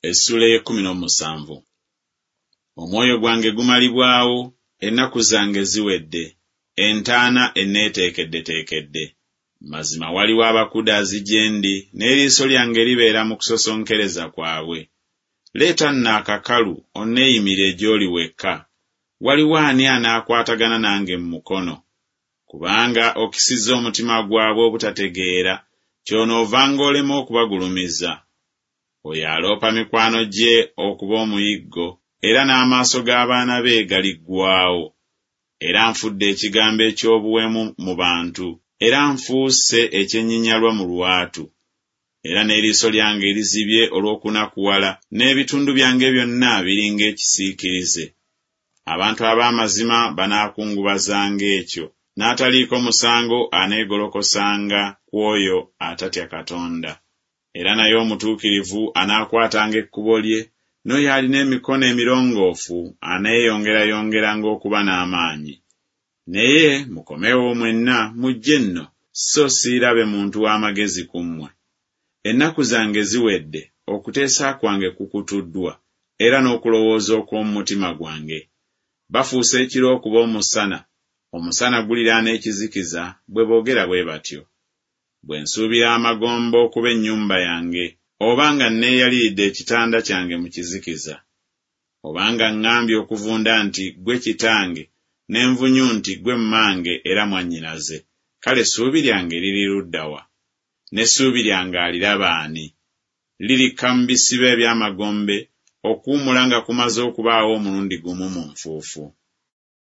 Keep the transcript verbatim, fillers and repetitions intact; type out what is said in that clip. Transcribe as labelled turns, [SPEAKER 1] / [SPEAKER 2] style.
[SPEAKER 1] Essuula ey'ekkumi n'omusanvu. Omwoyo gwange gumalibwawo, ennaku zange ziwedde, entaana enneeteekeddeteekedde. Mazima waliwo abakudaazi gye ndi, n'eriiso lyange libeera mu kusosonkereza kwabwe. Leeta nno akakalu onneeyimire gy'oli wekka. Waliwo ani anaakwatagana nange mu mukono? Kubanga okisizza omutima gwabwe obutategeera, kyonoovanga olema okubagulumiza. Oyo aloopa mikwano gye okuba omuyiggo, era n'amaaso g'abaana be galiggwaawo. Era nfudde ekigambo eky'obuwemu mu bantu, era nfuuse ekyenyinyalwa mu lwatu. Era n'eriiso lyange lizibye olw'okunakuwala, n'ebitundu byange byonna biri ng'ekisiikirize. Abantu ab'amazima banaakungubazanga ekyo, n'ataliiko musango aneegolokosanga ku oyo atatya Katonda. Era naye omutuukirivu anaakwatanga ekkubo lye, n'oyo alina emikono emirongoofu aneeyongerayongeranga okuba n'amaanyi. Naye mukomewo mwenna mujje nno, so siirabe muntu w'amagezi ku mmwe. Ennaku zange ziwedde, okuteesa kwange kukutuddwa, era n'okulowooza okw'omu mutima gwange. Bafuusa ekiro okuba omusana, omusana guliraana ekizikiza, bwe boogera bwe batyo. Bwe nsuubira amagombe okuba ennyumba yange, oba nga nneeyaliridde ekitanda kyange mu kizikiza. Obanga ŋŋambye okuvunda nti Ggwe kitange, n'envunyu nti Ggwe mmange era mwannyinaze, kale essuubi lyange liri ludda wa? N'essuubi lyange aliraba ani? Lirikka mu bisiba eby'amagombe, okuwummula nga kumaze okubaawo omulundi gumu mu nfuufu.